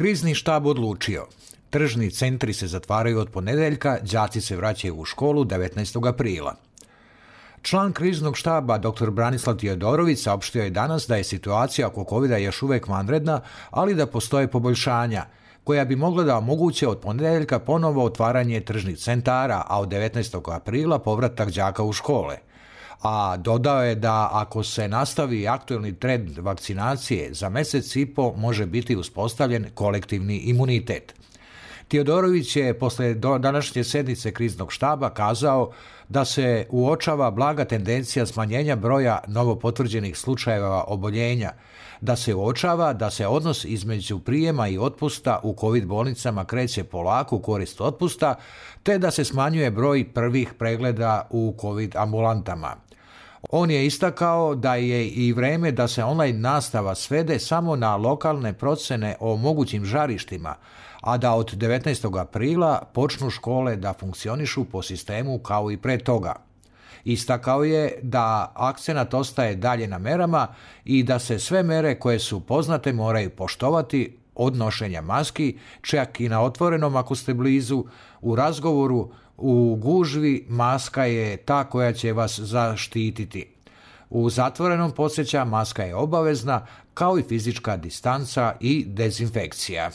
Krizni štab odlučio. Tržni centri se zatvaraju od ponedjeljka, đaci se vraćaju u školu 19. aprila. Član kriznog štaba dr. Branislav Tiodorović saopštio je danas da je situacija oko covida još uvijek vanredna, ali da postoje poboljšanja, koja bi mogla da omoguće od ponedjeljka ponovo otvaranje tržnih centara, a od 19. aprila povratak đaka u škole. A dodao je da ako se nastavi aktuelni trend vakcinacije, za mjesec i po može biti uspostavljen kolektivni imunitet. Tiodorović je posle današnje sjednice kriznog štaba kazao da se uočava blaga tendencija smanjenja broja novopotvrđenih slučajeva oboljenja, da se uočava da se odnos između prijema i otpusta u COVID bolnicama kreće polako u korist otpusta, te da se smanjuje broj prvih pregleda u COVID ambulantama. On je istakao da je i vreme da se online nastava svede samo na lokalne procjene o mogućim žarištima, a da od 19. aprila počnu škole da funkcionišu po sistemu kao i pre toga. Istakao je da akcenat ostaje dalje na merama i da se sve mere koje su poznate moraju poštovati, od nošenja maski, čak i na otvorenom ako ste blizu, u razgovoru, u gužvi maska je ta koja će vas zaštititi. U zatvorenom, podsjeća, maska je obavezna, kao i fizička distanca i dezinfekcija.